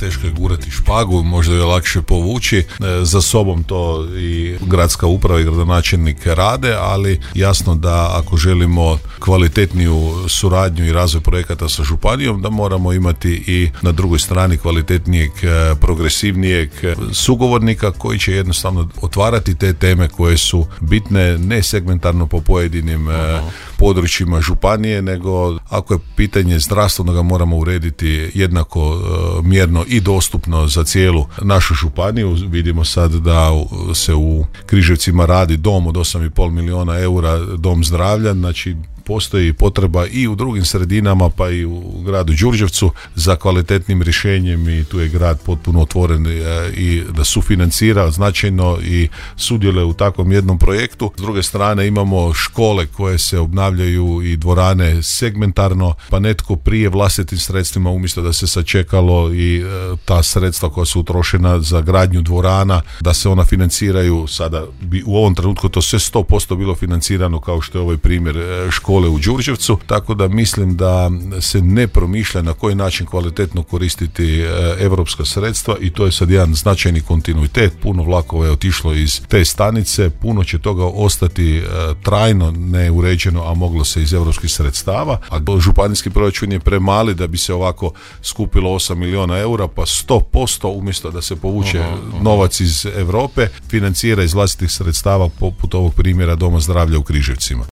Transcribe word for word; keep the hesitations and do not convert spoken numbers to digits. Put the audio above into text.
teško je gurati špagu, možda je lakše povući. Za sobom to i gradska uprava i gradonačelnik rade, ali jasno da ako želimo kvalitetniju suradnju i razvoj projekata sa županijom, da moramo imati i na drugoj strani kvalitetnijeg, progresivnijeg sugovornika koji će jednostavno otvarati te teme koje su bitne ne segmentarno po pojedinim uh-huh. područjima županije, nego ako je pitanje zdravstveno ga moramo urediti jednako uh, mjerno i dostupno za cijelu našu županiju. Vidimo sad da se u Križevcima radi dom od osam i pol milijuna eura, dom zdravlja, znači postoji potreba i u drugim sredinama, pa i u gradu Đurđevcu za kvalitetnim rješenjem i tu je grad potpuno otvoren i da sufinancira značajno i sudjeluje u takvom jednom projektu. S druge strane imamo škole koje se obnavljaju i dvorane segmentarno, pa netko prije vlastitim sredstvima umjesto da se sačekalo i ta sredstva koja su utrošena za gradnju dvorana, da se ona financiraju, sada bi u ovom trenutku to sve sto posto bilo financirano kao što je ovaj primjer škole u Đurđevcu, tako da mislim da se ne promišlja na koji način kvalitetno koristiti europska sredstva i to je sad jedan značajni kontinuitet. Puno vlakova je otišlo iz te stanice, puno će toga ostati trajno neuređeno, a moglo se iz europskih sredstava, a županijski proračun je premali da bi se ovako skupilo osam milijuna eura, pa sto posto umjesto da se povuče aha, aha. novac iz Europe, financira iz vlastitih sredstava poput ovog primjera Doma zdravlja u Križevcima.